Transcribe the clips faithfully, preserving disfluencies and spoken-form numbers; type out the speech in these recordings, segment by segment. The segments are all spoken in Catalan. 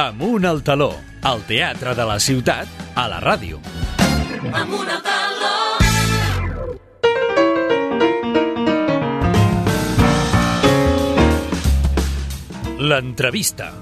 Amunt al taló, el teatre de la ciutat, a la ràdio. Amunt al taló. L'entrevista.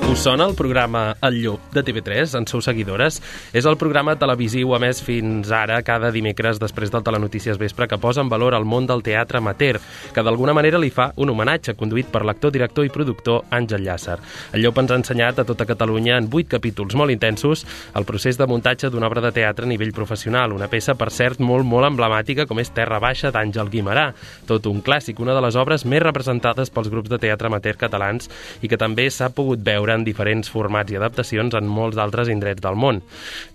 Us sona el programa El Llop de T V tres, en sou seguidores? És el programa televisiu emès fins ara cada dimecres després del Telenotícies Vespre que posa en valor el món del teatre amateur, que d'alguna manera li fa un homenatge conduït per l'actor, director i productor Àngel Llàcer. El Llop ens ha ensenyat a tota Catalunya en vuit capítols molt intensos el procés de muntatge d'una obra de teatre a nivell professional, una peça, per cert, molt, molt emblemàtica com és Terra Baixa d'Àngel Guimerà, tot un clàssic, una de les obres més representades pels grups de teatre amateur catalans i que també s'ha pogut veure en diferents formats i adaptacions en molts d'altres indrets del món.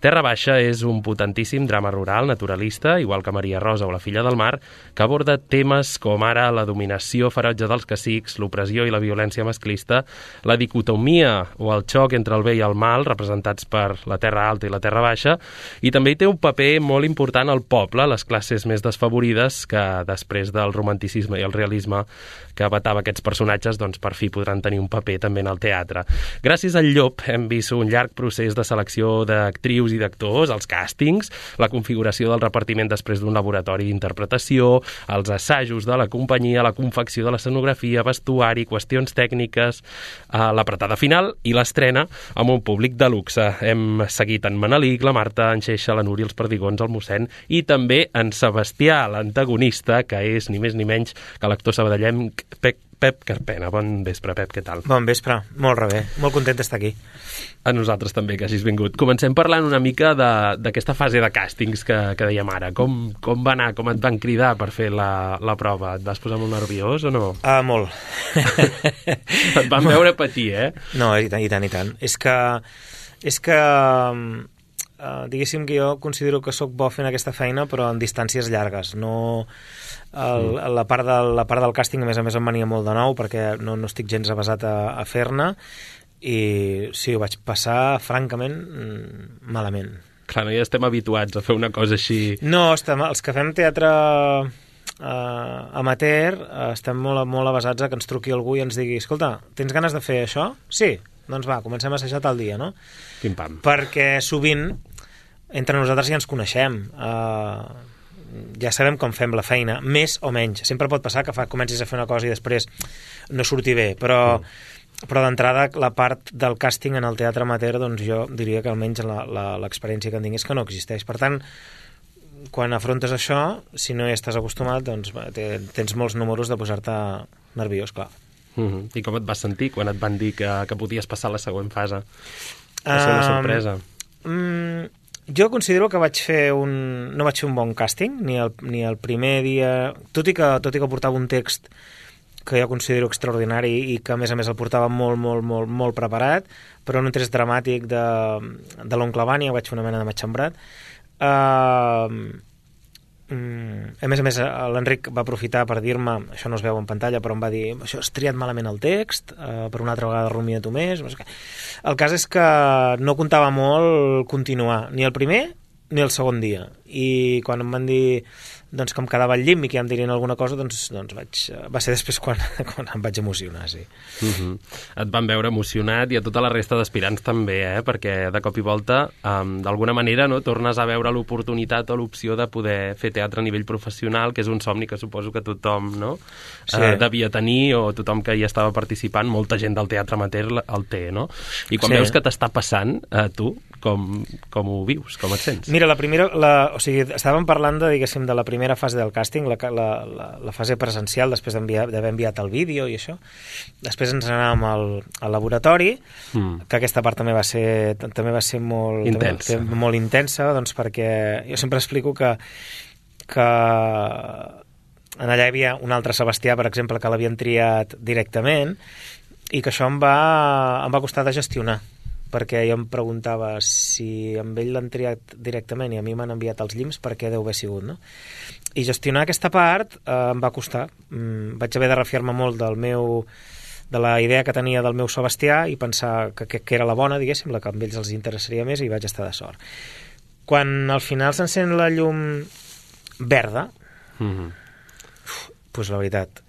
Terra Baixa és un potentíssim drama rural naturalista, igual que Maria Rosa o La filla del mar, que aborda temes com ara la dominació ferotge dels cacics, l'opressió i la violència masclista, la dicotomia o el xoc entre el bé i el mal, representats per la Terra Alta i la Terra Baixa, i també hi té un paper molt important al poble, les classes més desfavorides, que després del romanticisme i el realisme que abatava aquests personatges, doncs per fi podran tenir un paper també en el teatre. Gràcies al Llop hem vist un llarg procés de selecció d'actrius i d'actors, els càstings, la configuració del repartiment després d'un laboratori d'interpretació, els assajos de la companyia, la confecció de l'escenografia, vestuari, qüestions tècniques, l'apretada final i l'estrena amb un públic de luxe. Hem seguit en Manelic, la Marta, en Xeixa, la Núria, els Perdigons, el mossèn i també en Sebastià, l'antagonista, que és ni més ni menys que l'actor sabadellenc Pep Pep Carpena. Bon vespre, Pep, què tal? Bon vespre, molt rebé, molt content d'estar aquí. A nosaltres també, que hagis vingut. Comencem parlant una mica d'aquesta fase de càstings que, que dèiem ara. Com, com va anar, com et van cridar per fer la, la prova? Et vas posar molt nerviós o no? Ah, uh, molt. Et van veure patir, eh? No, i tant, i tant, i tant. És que, és que uh, diguéssim que jo considero que sóc bo fent aquesta feina, però en distàncies llargues. No... El, la, part del, la part del càsting, a més a més, em venia molt de nou perquè no, no estic gens avasat a, a fer-ne i sí, ho vaig passar, francament, malament. Clar, no hi estem habituats a fer una cosa així... No, estem, els que fem teatre uh, amateur estem molt, molt avasats a que ens truqui algú i ens digui escolta, tens ganes de fer això? Sí, doncs va, comencem a assajar tal dia, no? Pim-pam. Perquè sovint entre nosaltres ja ens coneixem, uh, ja sabem com fem la feina, més o menys. Sempre pot passar que fa, comencis a fer una cosa i després no surti bé, però, mm. però d'entrada la part del càsting en el teatre amateur, doncs jo diria que almenys l'experiència que en tinc és que no existeix. Per tant, quan afrontes això, si no hi estàs acostumat, doncs tens molts números de posar-te nerviós, clar. Mm-hmm. I com et vas sentir quan et van dir que, que podies passar la següent fase? Va ser una sorpresa. Um, mm, Jo considero que vaig fer un... no vaig fer un bon càsting, ni el, ni el primer dia... Tot i, que, tot i que portava un text que jo considero extraordinari i que, a més a més, el portava molt, molt, molt, molt preparat, però en un text dramàtic de, de l'oncle Vània, vaig fer una mena de matxembrat. Uh, a més a més, l'Enric va aprofitar per dir-me, això no es veu en pantalla, però em va dir, això has triat malament el text, uh, per una altra vegada rumia tu més. El cas és que no comptava molt continuar, ni el primer ni el segon dia. I quan em van dir doncs, que em quedava al llim i que ja em dirien alguna cosa, doncs, doncs vaig, va ser després quan, quan em vaig emocionar, sí. Uh-huh. Et van veure emocionat i a tota la resta d'aspirants també, eh? Perquè de cop i volta, um, d'alguna manera, no, tornes a veure l'oportunitat o l'opció de poder fer teatre a nivell professional, que és un somni que suposo que tothom, no? Sí. Uh, devia tenir, o tothom que hi estava participant, molta gent del teatre amateur el té, no? I quan sí. veus que t'està passant, uh, tu, com, com ho vius, com et sents? Mira, la primera, la, o sigui, estàvem parlant de, diguéssim, de la primera fase del càsting, la, la, la, la fase presencial, després d'haver enviat el vídeo i això. Després ens anàvem al, al laboratori, mm. que aquesta part també va ser, també va ser molt intensa, també, molt intensa, doncs perquè jo sempre explico que, que en allà hi havia un altre Sebastià, per exemple, que l'havien triat directament i que això em va, em va costar de gestionar, perquè jo em preguntava si amb ell l'han triat directament i a mi m'han enviat els llims, per què deu haver sigut, no? I gestionar aquesta part eh, em va costar. Mm, vaig haver de refiar-me molt del meu, de la idea que tenia del meu Sebastià i pensar que, que, que era la bona, diguéssim, la que a ells els interessaria més, i vaig estar de sort. Quan al final s'encén la llum verda, mm-hmm. uf, doncs la veritat,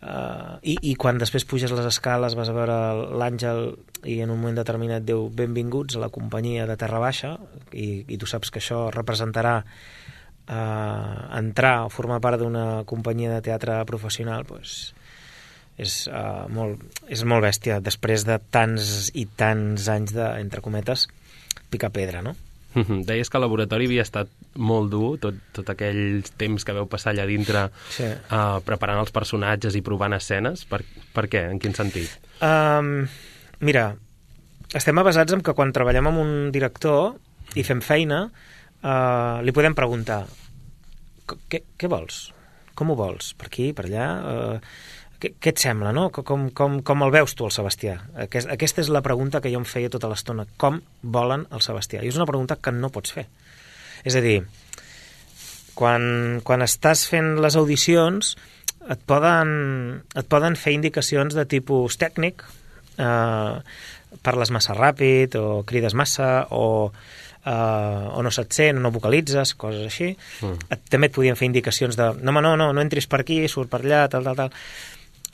Uh, i, i quan després puges les escales vas a veure l'Àngel i en un moment determinat diu benvinguts a la companyia de Terra Baixa i, i tu saps que això representarà uh, entrar o formar part d'una companyia de teatre professional, doncs és, uh, molt, és molt bèstia després de tants i tants anys de, entre cometes, picar pedra, no? Deies que el laboratori havia estat molt dur, tot, tot aquell temps que veu passar allà dintre, sí. uh, preparant els personatges i provant escenes. Per, per què? En quin sentit? Um, mira, estem avasats en que quan treballem amb un director i fem feina, uh, li podem preguntar què, què vols? Com ho vols? Per aquí, per allà? Uh, què, què et sembla, no? Com, com, com el veus tu, el Sebastià? Aquest, aquesta és la pregunta que jo em feia tota l'estona. Com volen el Sebastià? I és una pregunta que no pots fer. És a dir, quan, quan estàs fent les audicions et poden, et poden fer indicacions de tipus tècnic, eh, parles massa ràpid o crides massa o, eh, o no se't sent o no vocalitzes, coses així. Mm. Et, també et podien fer indicacions de no, no, no, no entris per aquí, surt per allà, tal, tal, tal.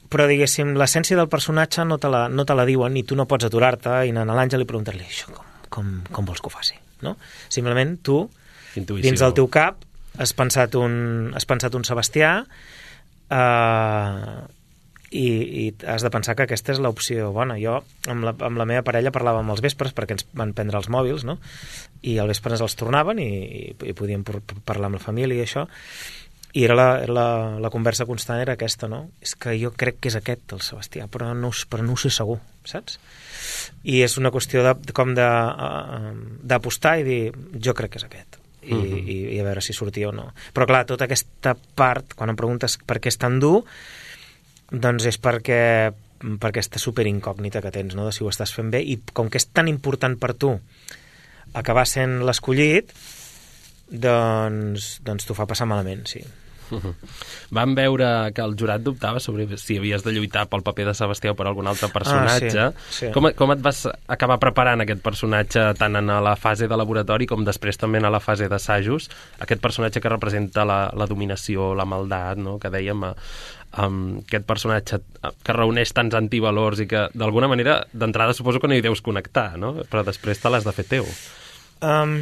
Però, diguéssim, l'essència del personatge no te la, no te la diuen i tu no pots aturar-te i anar a l'Àngel i preguntar-li això, com, com, com vols que ho faci? No? Simplement tu, Intuïció. Dins del teu cap, has pensat un, has pensat un Sebastià eh, i, i has de pensar que aquesta és l'opció bona. Jo, amb la, amb la meva parella, parlàvem als vespres perquè ens van prendre els mòbils, no? I al vespre ens els tornaven i, i, i podíem parlar amb la família i això. I era la, la, la conversa constant era aquesta, no? És que jo crec que és aquest, el Sebastià, però no, però no ho sé segur, saps? I és una qüestió de, com de, uh, d'apostar i dir, jo crec que és aquest. I, uh-huh. i, i a veure si sortia o no. Però clar, tota aquesta part, quan em preguntes per què és tan dur, doncs és perquè, per aquesta superincògnita que tens, no? De si ho estàs fent bé, i com que és tan important per tu acabar sent l'escollit, doncs, doncs t'ho fa passar malament, sí. Uh-huh. Vam veure que el jurat dubtava sobre si havies de lluitar pel paper de Sebastià o per algun altre personatge. Ah, sí, sí. Com, com et vas acabar preparant aquest personatge tant en la fase de laboratori com després també en la fase d'assajos? Aquest personatge que representa la, la dominació, la maldat, no? Que dèiem, um, aquest personatge que reuneix tants antivalors i que d'alguna manera d'entrada suposo que no hi deus connectar, no? Però després te l'has de fer teu. Um...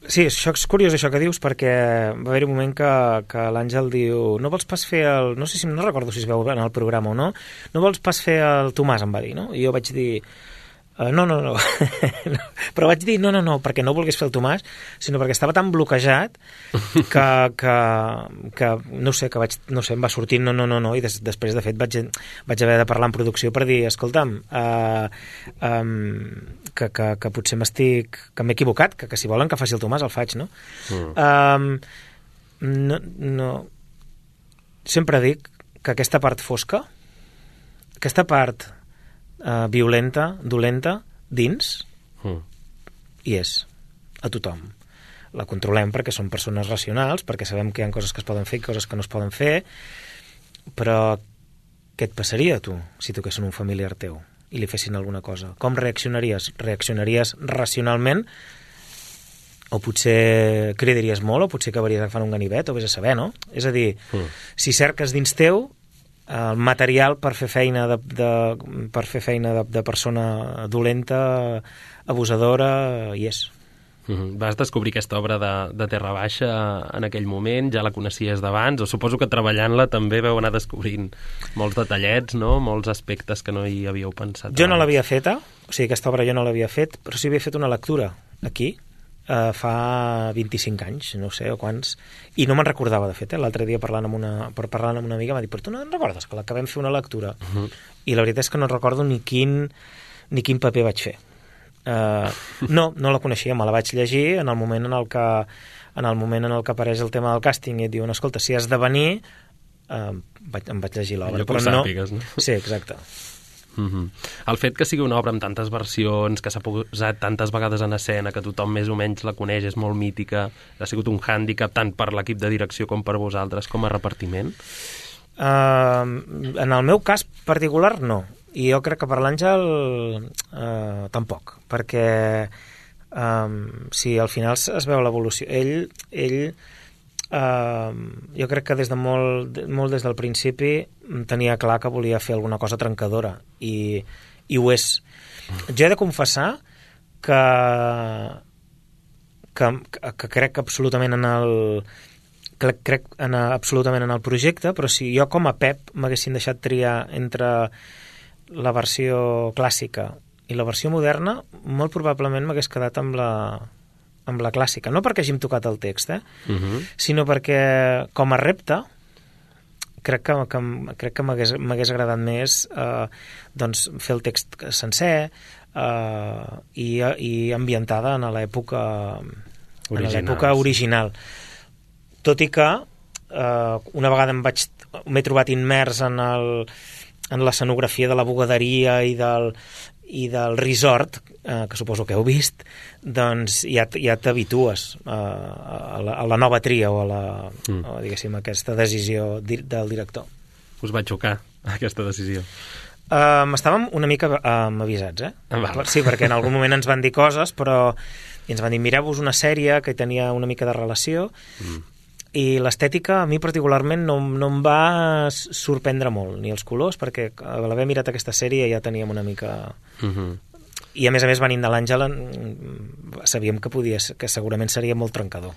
Sí, això és curiós això que dius, perquè va haver un moment que, que l'Àngel diu no vols pas fer el... No sé si no recordo si es veu en el programa o no. No vols pas fer el Tomàs, em va dir, no? I jo vaig dir Uh, no, no, no. Però vaig dir no, no, no, perquè no volgués fer el Tomàs, sinó perquè estava tan bloquejat que, que, que no sé, que vaig, no sé, em va sortir no, no, no, no, i des, després, de fet, vaig, vaig haver de parlar en producció per dir, escolta'm, uh, um, que, que, que potser m'estic, que m'he equivocat, que, que si volen que faci el Tomàs el faig, no? Mm. Um, no, no. Sempre dic que aquesta part fosca, aquesta part Uh, violenta, dolenta, dins, mm. hi és, a tothom. La controlem perquè som persones racionals, perquè sabem que hi ha coses que es poden fer i coses que no es poden fer, però què et passaria a tu si toquessin un familiar teu i li fessin alguna cosa? Com reaccionaries? Reaccionaries racionalment? O potser cridaries molt, o potser acabaries agafant un ganivet, o vés a saber, no? És a dir, mm. si cerques dins teu el material per fer feina de, de, per fer feina de, de persona dolenta, abusadora, hi és. Mm-hmm. Vas descobrir aquesta obra de, de Terra Baixa en aquell moment, ja la coneixies d'abans, o suposo que treballant-la també veu anar descobrint molts detallets, no? Molts aspectes que no hi havíeu pensat. Jo abans. No l'havia feta, o sigui, aquesta obra jo no l'havia fet, però sí havia fet una lectura aquí, Uh, fa vint-i-cinc anys, no sé, o quants, i no me'n recordava, de fet, eh? L'altre dia parlant amb una, per parlant amb una amiga m'ha dit, però tu no en recordes que l'acabem fer una lectura? Uh-huh. I la veritat és que no recordo ni quin, ni quin paper vaig fer. Uh, no, no la coneixia, me la vaig llegir en el moment en el que, en el moment en el que apareix el tema del càsting i et diuen, escolta, si has de venir, uh, vaig, em vaig llegir l'obra. Allò que ho sàpigues, no? Sí, exacte. Mm-hmm. El fet que sigui una obra amb tantes versions, que s'ha posat tantes vegades en escena, que tothom més o menys la coneix, és molt mítica, ha sigut un hàndicap tant per l'equip de direcció com per vosaltres com a repartiment? Uh, en el meu cas particular no, i jo crec que per l'Àngel uh, tampoc, perquè um, si al final es veu l'evolució, ell, ell Uh, jo crec que des de molt, molt des del principi tenia clar que volia fer alguna cosa trencadora i, i ho és. Jo he de confessar que, que, que crec absolutament en el crec, crec en, absolutament en el projecte, però si jo com a Pep m'haguessin deixat triar entre la versió clàssica i la versió moderna, molt probablement m'hagués quedat amb la amb la clàssica, no perquè hàgim tocat el text, eh? Uh-huh. Sinó perquè com a repte crec que, que, crec que m'hagués, m'hagués agradat més eh, doncs fer el text sencer eh, i, i ambientada en l'època en l'època original. Tot i que eh, una vegada em vaig, m'he trobat immers en, el, en l'escenografia de la bugaderia i del i del resort, eh, que suposo que heu vist, doncs ja, ja t'habitues eh, a, la, a la nova tria o a la, mm. o, diguéssim, aquesta decisió di, del director. Us va xocar aquesta decisió? Um, estàvem una mica um, avisats, eh? Ah, sí, perquè en algun moment ens van dir coses, però i ens van dir, mireu-vos una sèrie que tenia una mica de relació, mm. i l'estètica a mi particularment no, no em va sorprendre molt, ni els colors, perquè a l'haver mirat aquesta sèrie ja teníem una mica... Uh-huh. I a més a més venint de l'Àngela sabíem que podia que segurament seria molt trencador.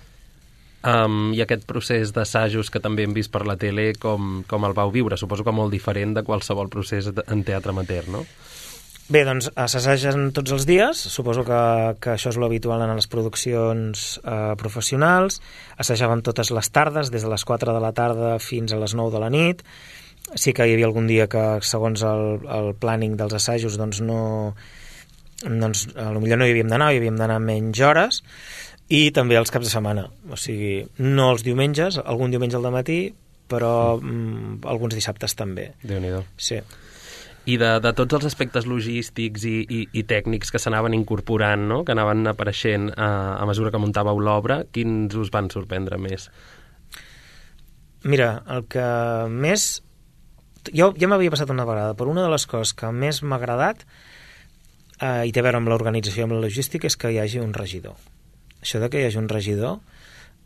Um, I aquest procés d'assajos que també hem vist per la tele, com, com el vau viure? Suposo que molt diferent de qualsevol procés en teatre amateur, no? Bé, doncs s'assagen tots els dies, suposo que, que això és l'habitual en les produccions eh, professionals. Assajàvem totes les tardes, des de les quatre de la tarda fins a les nou de la nit. Sí que hi havia algun dia que, segons el, el planning dels assajos, doncs no... doncs potser no hi havíem d'anar, hi havíem d'anar menys hores, i també els caps de setmana. O sigui, no els diumenges, algun diumenge al dematí, però mm, alguns dissabtes també. Déu-n'hi-do. Sí. I de, de tots els aspectes logístics i, i, i tècnics que s'anaven incorporant, no? Que anaven apareixent a, a mesura que muntàveu l'obra, quins us van sorprendre més? Mira, el que més... Jo ja m'havia passat una vegada, però una de les coses que més m'ha agradat eh, i té a veure amb l'organització i amb la logística és que hi hagi un regidor. Això de que hi hagi un regidor...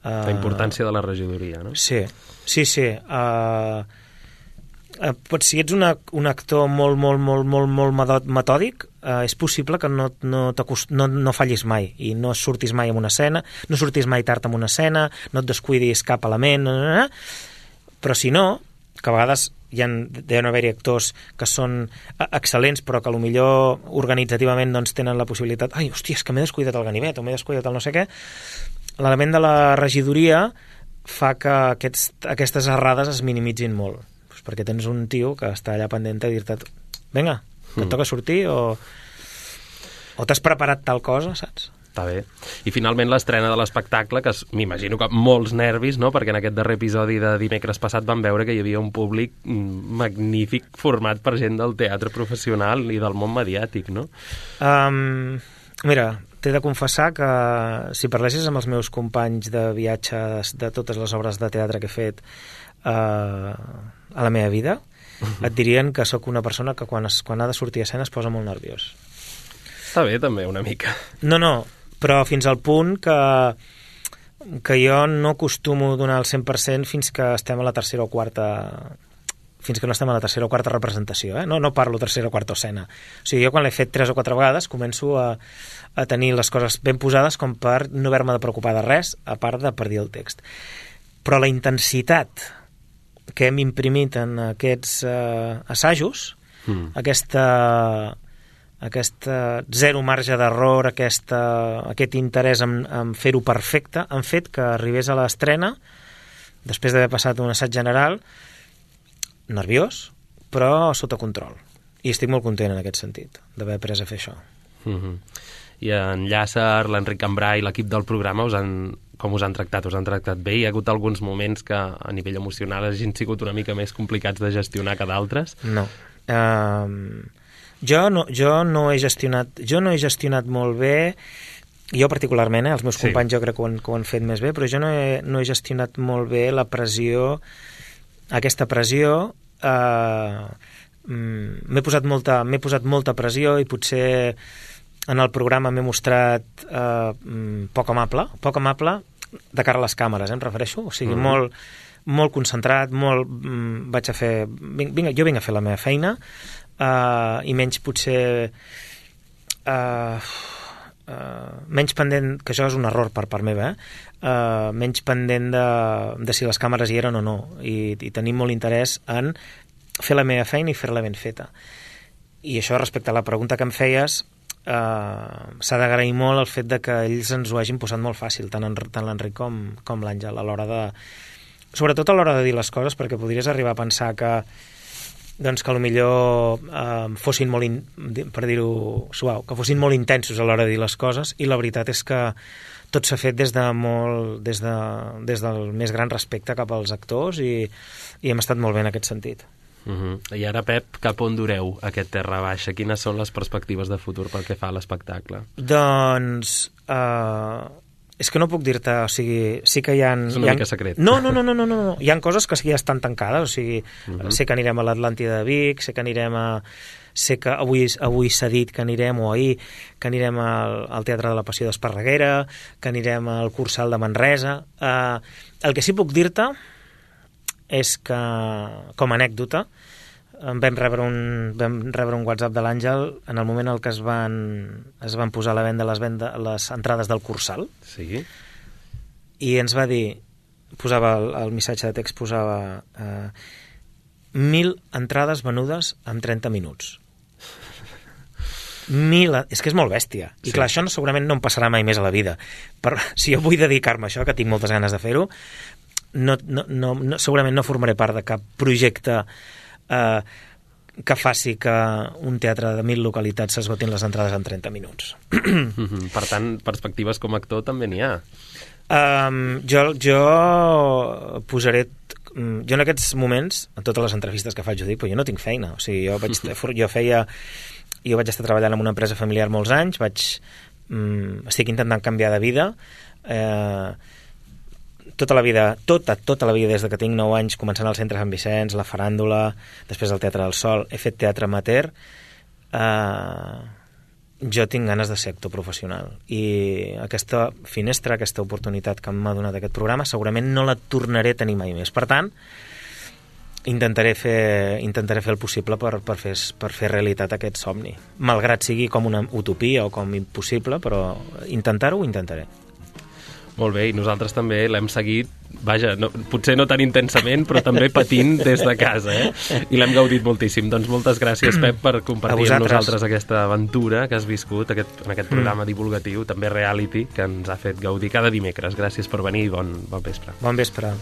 Eh, la importància de la regidoria, no? Sí, sí, sí. Eh, Eh, pot, si ets una, un actor molt, molt, molt, molt, molt metòdic, eh, és possible que no, no, no, no fallis mai i no surtis mai en una escena, no surtis mai tard en una escena, no et descuidis cap element, no, no, no. Però si no, que a vegades hi ha, deuen haver-hi actors que són excel·lents però que potser organitzativament doncs, tenen la possibilitat, ai, hòstia, és que m'he descuidat el ganivet o m'he descuidat el no sé què, l'element de la regidoria fa que aquests, aquestes errades es minimitzin molt, perquè tens un tio que està allà pendent de dir-te vinga, que et toca sortir o, o t'has preparat tal cosa, saps? Està bé. I finalment l'estrena de l'espectacle, que m'imagino que molts nervis, no? Perquè en aquest darrer episodi de dimecres passat vam veure que hi havia un públic magnífic format per gent del teatre professional i del món mediàtic, no? Um, mira, t'he de confessar que si parlessis amb els meus companys de viatges de totes les obres de teatre que he fet uh, a la meva vida, et dirien que sóc una persona que quan, es, quan ha de sortir a escena es posa molt nerviós. Està bé, també, una mica. No, no, però fins al punt que, que jo no acostumo a donar el cent per cent fins que estem a la tercera o quarta... fins que no estem a la tercera o quarta representació, eh? No, no parlo tercera o quarta escena. O sigui, jo quan l'he fet tres o quatre vegades començo a, a tenir les coses ben posades com per no haver-me de preocupar de res, a part de per dir el text. Però la intensitat que hem imprimit en aquests eh, assajos, mm. aquesta, aquesta zero marge d'error, aquesta, aquest interès en, en fer-ho perfecte, han fet que arribés a l'estrena, després d'haver passat un assaig general, nerviós, però sota control. I estic molt content en aquest sentit, d'haver après a fer això. Mm-hmm. I en Llàcer, l'Enric Cambrai i l'equip del programa us han, com us han tractat? Us han tractat bé? Hi ha hagut alguns moments que a nivell emocional hagin sigut una mica més complicats de gestionar que d'altres? No. Uh, jo no. Jo no he gestionat, jo no he gestionat molt bé, jo particularment, eh, els meus companys sí. Jo crec que ho, han, que ho han fet més bé, però jo no he, no he gestionat molt bé la pressió, aquesta pressió, uh, m'he posat molta, m'he posat molta pressió i potser en el programa m'he mostrat eh, poc amable, poc amable de cara a les càmeres, eh, em refereixo, o sigui, Mm. molt, molt concentrat, molt, mm, vaig a fer, vinc, vinc, jo vinc a fer la meva feina, uh, i menys potser, uh, uh, menys pendent, que això és un error per part meva, eh? uh, menys pendent de, de si les càmeres hi eren o no, i, i tenim molt interès en fer la meva feina i fer-la ben feta. I això respecte a la pregunta que em feies, Uh, s'ha d'agrair molt el fet de que ells ens ho hagin posat molt fàcil, tant, en, tant l'Enric com, com l'Àngel, a l'hora de... Sobretot a l'hora de dir les coses, perquè podries arribar a pensar que doncs que potser uh, fossin molt, in, per dir-ho suau, que fossin molt intensos a l'hora de dir les coses, i la veritat és que tot s'ha fet des de molt, des, de, des del més gran respecte cap als actors, i, i hem estat molt bé en aquest sentit. Uh-huh. I ara, Pep, cap on dureu aquest Terra Baixa? Quines són les perspectives de futur pel que fa a l'espectacle? Doncs... Uh, és que no puc dir-te, o sigui, sí que hi ha... És una hi ha... mica secret. No, no, no, no, no, no, hi ha coses que sí que ja estan tancades, o sigui, Uh-huh. sé que anirem a l'Atlàntida de Vic, sé que anirem a... sé que avui, avui s'ha dit que anirem, o ahir, que anirem al, al Teatre de la Passió d'Esparreguera, que anirem al Cursal de Manresa. Uh, el que sí puc dir-te és que, com a anècdota, vam rebre un, vam rebre un WhatsApp de l'Àngel en el moment en què es van, es van posar a la venda les, venda les entrades del Cursal, Sí? i ens va dir, posava el, el missatge de text, posava eh, mil entrades venudes en trenta minuts. Mil, és que és molt bèstia. I Sí. clar, això no, segurament no em passarà mai més a la vida. Però si jo vull dedicar-me a això, que tinc moltes ganes de fer-ho, no, no, no, no, segurament no formaré part de cap projecte eh, que faci que un teatre de mil localitats s'esgotin les entrades en trenta minuts. Uh-huh. Per tant, perspectives com a actor també n'hi ha. Um, jo, jo posaré... Jo en aquests moments, en totes les entrevistes que faig, ho dic, però jo no tinc feina. O sigui, jo, vaig, jo feia... Jo vaig estar treballant en una empresa familiar molts anys, vaig, um, estic intentant canviar de vida, eh, tota la vida, tota, tota la vida des de que tinc nou anys, començant al Centre Sant Vicenç, la faràndula, després el Teatre del Sol, he fet teatre amateur, eh, jo tinc ganes de ser actor professional, i aquesta finestra, aquesta oportunitat que m'ha donat aquest programa, segurament no la tornaré a tenir mai més. Per tant, intentaré fer, intentaré fer el possible per, per, fer, per fer realitat aquest somni, malgrat sigui com una utopia o com impossible, però intentar-ho ho intentaré. Molt bé, i nosaltres també l'hem seguit, vaja, no, potser no tan intensament, però també patint des de casa, eh? I l'hem gaudit moltíssim. Doncs moltes gràcies, Pep, per compartir amb nosaltres aquesta aventura que has viscut aquest, en aquest programa divulgatiu, també reality, que ens ha fet gaudir cada dimecres. Gràcies per venir i bon, bon vespre. Bon vespre.